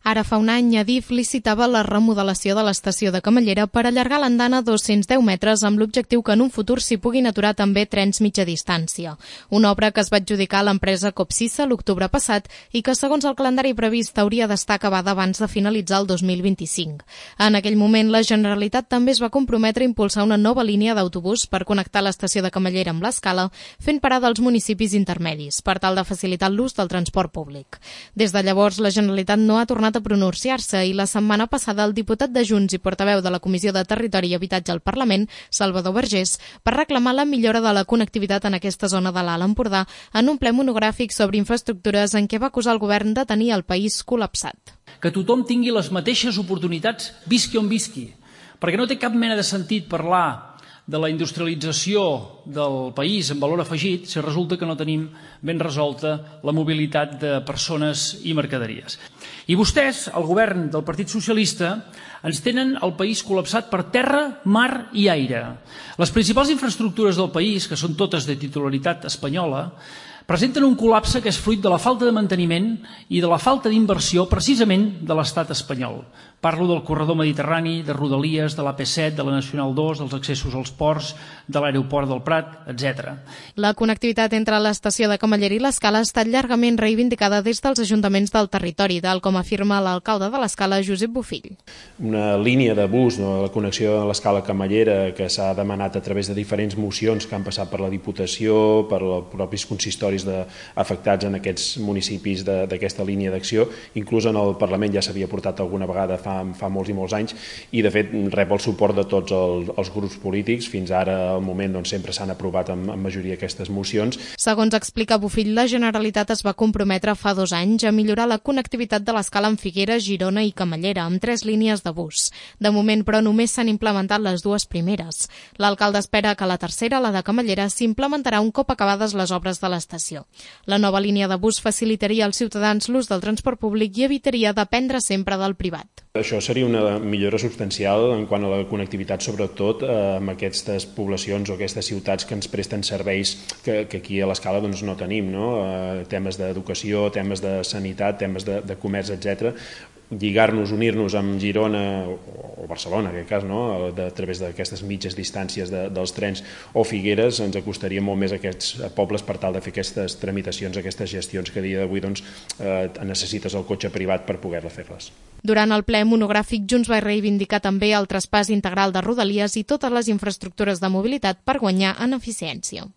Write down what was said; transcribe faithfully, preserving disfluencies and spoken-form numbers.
Ara fa un any, Adif licitava la remodelació de l'estació de Camallera per allargar l'andana a dos-cents deu metres amb l'objectiu que en un futur s'hi puguin aturar també trens mitja distància. Una obra que es va adjudicar a l'empresa Copsissa l'octubre passat i que, segons el calendari previst, hauria d'estar acabada abans de finalitzar el dos mil vint-i-cinc. En aquell moment, la Generalitat també es va comprometre a impulsar una nova línia d'autobús per connectar l'estació de Camallera amb l'Escala, fent parada als municipis intermedis, per tal de facilitar l'ús del transport públic. Des de llavors, la Generalitat no ha tornat a pronunciar-se i la setmana passada el diputat de Junts i portaveu de la Comissió de Territori i Habitatge al Parlament, Salvador Vergés, per reclamar la millora de la connectivitat en aquesta zona de l'Alt Empordà en un ple monogràfic sobre infraestructures en què va acusar el govern de tenir el país col·lapsat. Que tothom tingui les mateixes oportunitats, visqui on visqui, perquè no té cap mena de sentit parlar de la industrialització del país en valor afegit si resulta que no tenim ben resolta la mobilitat de persones i mercaderies. I vostès, el govern del Partit Socialista, ens tenen el país col·lapsat per terra, mar i aire. Les principals infraestructures del país, que són totes de titularitat espanyola, presenten un col·lapse que és fruit de la falta de manteniment i de la falta d'inversió precisament de l'estat espanyol. Parlo del corredor mediterrani, de Rodalies, de l'A P set, de la Nacional dos, dels accessos als ports, de l'aeroport del Prat, etcètera. La connectivitat entre l'estació de Camallera i l'Escala ha estat llargament reivindicada des dels ajuntaments del territori, tal com afirma l'alcalde de l'Escala, Josep Bofill. Una línia de bus, no, la connexió de l'Escala Camallera, que s'ha demanat a través de diferents mocions que han passat per la Diputació, per els propis consistoris de, afectats en aquests municipis d'aquesta línia d'acció. Inclús en el Parlament ja s'havia portat alguna vegada fa, fa molts i molts anys i de fet rep el suport de tots el, els grups polítics. Fins ara al moment doncs, sempre s'han aprovat en, en majoria aquestes mocions. Segons explica Bofill, la Generalitat es va comprometre fa dos anys a millorar la connectivitat de l'Escala amb Figueres, Girona i Camallera, amb tres línies de bus. De moment, però, només s'han implementat les dues primeres. L'alcalde espera que la tercera, la de Camallera, s'implementarà un cop acabades les obres de l'estació. La nova línia de bus facilitaria als ciutadans l'ús del transport públic i evitaria dependre sempre del privat. Això seria una millora substancial en quant a la connectivitat, sobretot eh, amb aquestes poblacions o aquestes ciutats que ens presten serveis que, que aquí a l'Escala doncs, no tenim, no? Eh, temes d'educació, temes de sanitat, temes de, de comerç, etcètera. Lligar-nos, unir-nos amb Girona o Barcelona, en aquest cas, no? de, a través d'aquestes mitges distàncies de, dels trens o Figueres, ens acostaria molt més a aquests pobles per tal de fer aquestes tramitacions, aquestes gestions que a dia d'avui doncs, eh, necessites el cotxe privat per poder-la fer-les. Durant el ple monogràfic, Junts va reivindicar també el traspàs integral de Rodalies i totes les infraestructures de mobilitat per guanyar en eficiència.